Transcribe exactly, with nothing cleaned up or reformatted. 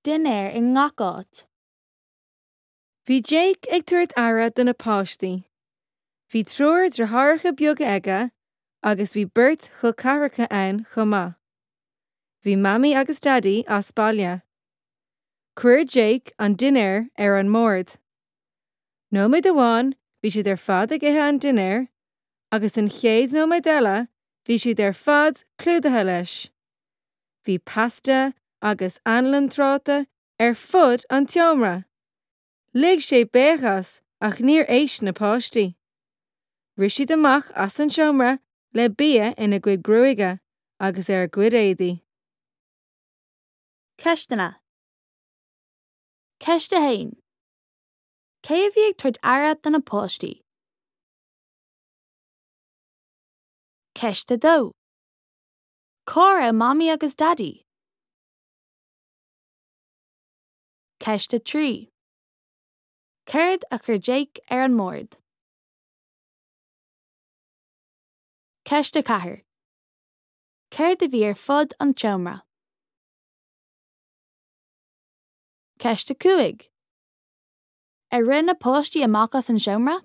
dinnéar i ngach áit. Bhí Jake ag tabhairt aire do na páistí. Bhí triúr deartháireacha beaga aige agus bhí beirt chol ceathracha ann chomh maith. Bhí Mamaí agus Daidí as baile. Chuir Jake an dinnéar ar an mbord. Nóiméad amháin bhí siad ar fad ag ithe an dinnéir, agus an chéad nóiméad eile bhí siad ar fad clúdaithe leis. Bhí pasta agus anlann tráta ar fud an tseomra. Lig sé béic as ach níor éist na páistí. Rith siad amach as an seomra le bia ina gcuid gruaige agus ar a gcuid éadaí. Ceisteanna. Ceist a haon. Cé a bhí ag tabhairt aire do na páistí? Ceist a dó. Cá raibh Mamaí agus Daidí? Ceist a trí. Céard a chuir Jake ar an mbord? Ceist a ceathair. Céard a bhí ar fud an tseomra? Ceist a cúig. Ar rith na páistí amach as an seomra?